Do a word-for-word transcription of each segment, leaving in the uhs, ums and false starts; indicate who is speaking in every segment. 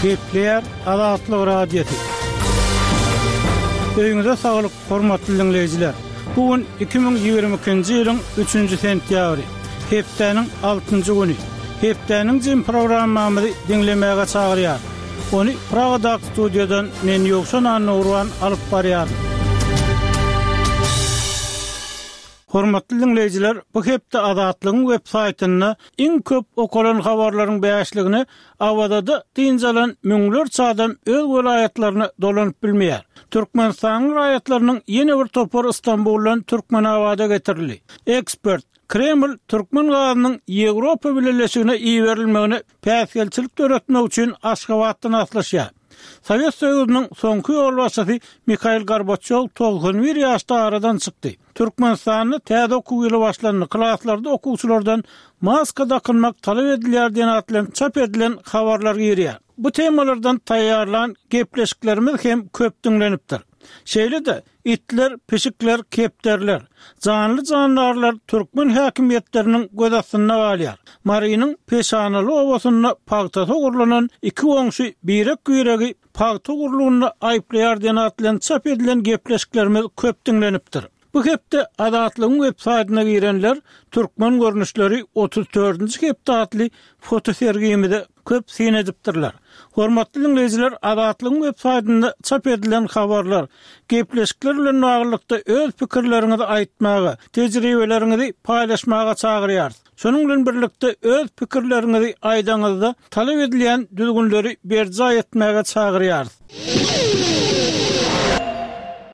Speaker 1: Gepleýär Azatlyk Radiosy. Öýüňize saglyk, hormatly diňleýjiler. Bu gün iki müň ýigrimi ikinji ýylyň üçünji sentýabry, hepdäniň altynjy güni. Hepdäniň jemi programmamyzy diňlemäge çagyrýar. Ony Pragadaky studiýadan men Ýowşan Annagurban alyp barýaryn. Hormatly diňleýjiler, bu hepde Azatlygyň web saýtynda iň köp okalan habarlaryň bäşligine Awazada dynç alan müňlerçe adam öz welaýatlaryna dolanyp bilmeýär. Türkmenistanyň raýatlarynyň ýene bir topary Istanbuldan Türkmenabada getirildi. Ekspert, Kreml türkmen gazynyň Ýewropa Bileleşigine iberilmegine päsgelçilik döretmek üçin Aşgabatdan aslyşýar. Sowet Soýuzynyň soňky ýolbaşçysy Mihail Gorbaçýow togsan bir ýaşda aradan çykdy. Türkmenistanda täze okuw ýyly başlandy. Klaslarda okuwçylardan maska dakynmak talap edilýär diýen at bilen çap edilen habarlar girýär. Bu temalardan taýýarlan gepleşiklerimiz hem köp diňlenipdir. Şeýle-de itler, pişikler, kepderiler, janly jandarlar türkmen häkimiýetleriniň göz astynda galýar. Marynyň Peşanaly obasynda pagtasy ogurlanan iki goňşy birek-biregi pagta ogurlygynda aýyplaýar diýen at bilen çap edilen gepleşiklerimiz köp diňlenipdir. Bu hepde Azatlygyň web saýtyna girenler Türkmen görnüşleri otuz dördünji hepde atly fotosergimize köp syn edipdirler. Hormatly diňleýjiler, Azatlygyň web saýtynda çap edilen habarlar, gepleşikler bilen baglylykda öz pikirleriňizi aýtmaga, tejribeleriňizi paýlaşmaga çagyrýarys. Şonuň bilen birlikde öz pikirleriňizi aýdaňyzda talap edilýän düzgünleri berjaý etmäge çagyrýarys.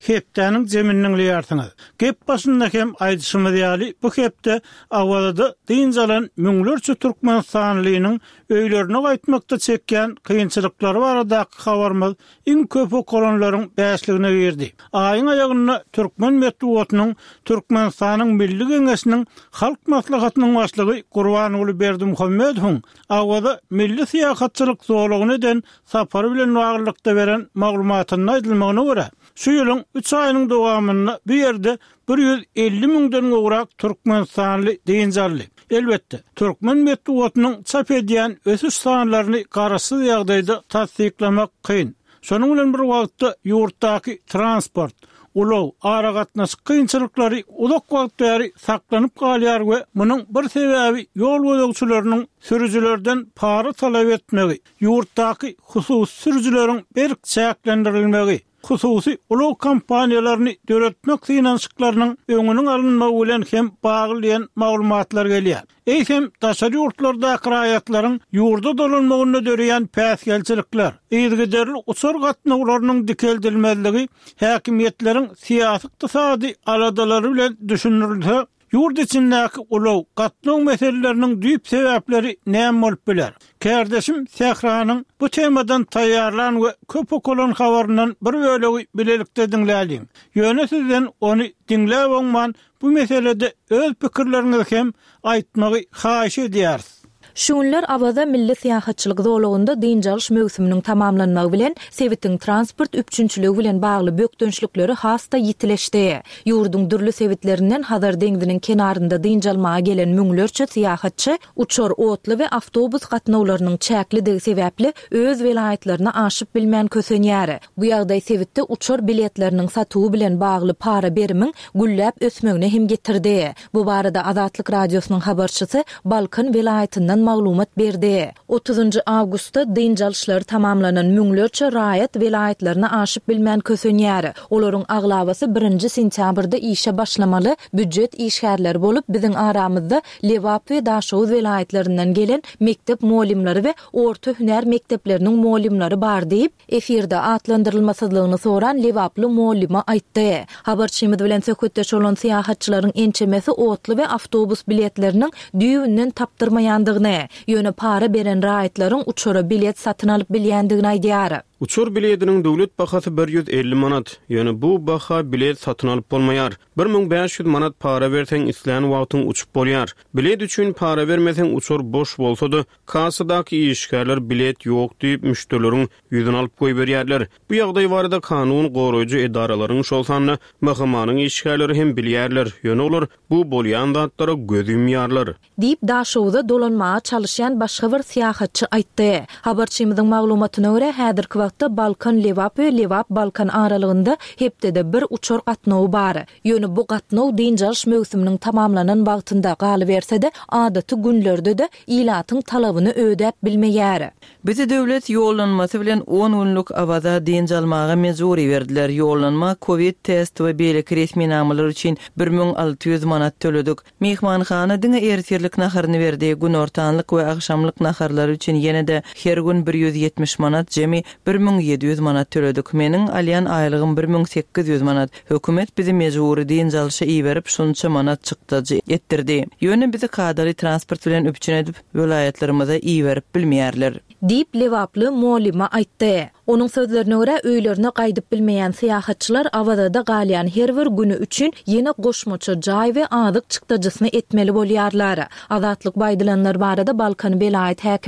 Speaker 1: Hepdäniň jemini diňleýärsiňiz. Gep başynda hem aýdyşymyz ýaly, bu hepde Awazada dynç alan müňlerçe türkmenistanlynyň öýlerine gaýtmakda çekýän kynçylyklary baradaky habarymyz iň köp okalanlaryň bäşligine girdi. Aýyň aýagynda türkmen metbugatynyň Türkmenistanyň Milli Geňeşiniň Halk Maslahatynyň başlygy Gurbanguly Berdimuhamedowyň Awaza milli syýahatçylyk zolagyna eden sapary bilen baglylykda beren maglumatynda aýdylmagyna görä, şu ýylyň üç aýynyň dowamynda bu ýerde bir ýüz elli müňden gowrak türkmenistanly dynç aldy. Elbetde, türkmen metbugatynyň çap edýän ösüş sanlaryny garaşsyz ýagdaýda tassyklamak kyn. Şonuň bilen bir wagtda ýurtdaky transport, ulag, aragatnaşyk kynçylyklary uzak wagt bäri saklanyp galýar we munuň bir sebäbi ýol gözegçileriniň sürüjilerden para talap etmegi, ýurtdaky hususy sürüjileriň berk çäklendirilmegi, hususy ulag kompaniýalaryny döretmek synanyşyklarynyň öňüniň alynmagy bilen hem bagly diýen maglumatlar gelýär. Eýsem, daşary ýurtlardaky raýatlaryň ýurda dolanmagynda döreýän päsgelçilikler, yzygiderli uçar gatnawlarynyň dikeldilmezligi häkimiýetleriň syýasy-ykdysady aladalary bilen düşündirilse, ýurt içindäki ulag, gatnaw meseleleriniň düýp sebäpleri näme bolup biler? Kärdeşim Sähranyň bu temadan taýýarlan we köp okalan habaryndan bir bölegi bilelikde diňläliň. Ýöne sizden ony diňläp oňman bu meselede öz pikirleriňizi hem aýtmagy haýyş edýäris.
Speaker 2: Şu günler Awaza milli syýahatçylyk zolagynda dynç alyş möwsüminiň tamamlanmagy bilen sebitiň transport üpjünçiligi bilen bagly bökdençlikleri has-da ýitileşdi. Ýurduň dürli sebitlerinden Hazar deňziniň kenarynda dynç almaga gelen müňlerçe syýahatçy uçar, otly we awtobus gatnawlarynyň çäklidigi sebäpli öz welaýatlaryna aşyp bilmän kösenýär. Bu ýagdaý sebitde uçar biletleriniň satuwy bilen bagly para berimiň gülläp ösmegine hem getirdi. Bu barada Azatlyk Radiosynyň habarçysy Balkan welaýatyndan maglumat berdi. Otuzynjy awgustda dynç alyşlary tamamlanan müňlerçe raýat welaýatlaryna aşyp bilmän kösenýär. Olaryň aglabasy birinji sentýabrda işe başlamaly býujet işgärleri bolup, biziň aramyzda Lebap we Daşoguz welaýatlaryndan gelen mekdep mugallymlary we orta hünär mekdepleriniň mugallymlary bar diýip, efirde atlandyrylmasyzlygyny soran lebaply mugallyma aýtdy. Habarçymyz bilen söhbetdeş bolan syýahatçylaryň ençemesi otly we awtobus biletleriniň düýbünden tapdyrmaýandygyny, ýöne para beren raýatlaryň uçara bilet satyn alyp bilýändigini aýdýar.
Speaker 3: Uçar biletiniň döwlet bahasy bir ýüz elli manat. Ýöne bu baha bilet satyn alyp bolmaýar. Bir müň bäş ýüz manat para berseň islän wagtyň uçup bolýar. Bilet üçin para bermeseň uçar boş bolsa-da kassadaky işgärler bilet ýok diýip müşderileriň ýüzüni alyp goýberýärler. Bu ýagdaý barada kanun goraýjy edaralaryň şol sanda M H M-nyň işgärleri hem bilýärler. Ýöne olar bu bolýan zatlara göz ýumýarlar.
Speaker 2: Diýip Daşoguza dolanmaga çalışýan başga bir syýahatçy aýtdy. Habarçymyzyň maglumatyna görä häzirki wagtda Balkan Lebap we Lebap Balkan aralygynda hepdede bir uçar gatnawy bar. Ýöne bu gatnaw dynç alyş möwsüminiň tamamlanan wagtynda galyberse-de adaty günlerde-de ilatyň talabyny ödäp bilmeýär.
Speaker 4: Bizi döwlet ýollanmasy bilen on günlük Awaza dynç almaga mejburi berdiler. Ýollanma COVID test we beýleki resminamalar üçin bir müň alty ýüz manat töledik. Mehmanhana diňe ertirlik naharyny berdi. Günortanlyk we agşamlyk naharlary üçin ýene-de her gün bir ýüz ýetmiş manat, jemi bir müň ýedi ýüz manat töledik. Meniň alýan aýlygym bir müň sekiz ýüz manat. Hökümet bizi mejburi dynç alyşa iberip şunça manat çykdajy etdirdi. Ýöne bizi kadaly transport bilen üpjün edip welaýatlarymyza iberip bilmeýärler.
Speaker 2: Diýip Lebaply muallima aýtdy. Onuň sözlerine görä öýlerine gaýdyp bilmeýän syýahatçylar Awazada galýan her bir güni üçin ýene goşmaça jaý we azyk çykdajysyny etmeli bolýarlar. Azatlyk baýdylanlar barada Balkan welaýat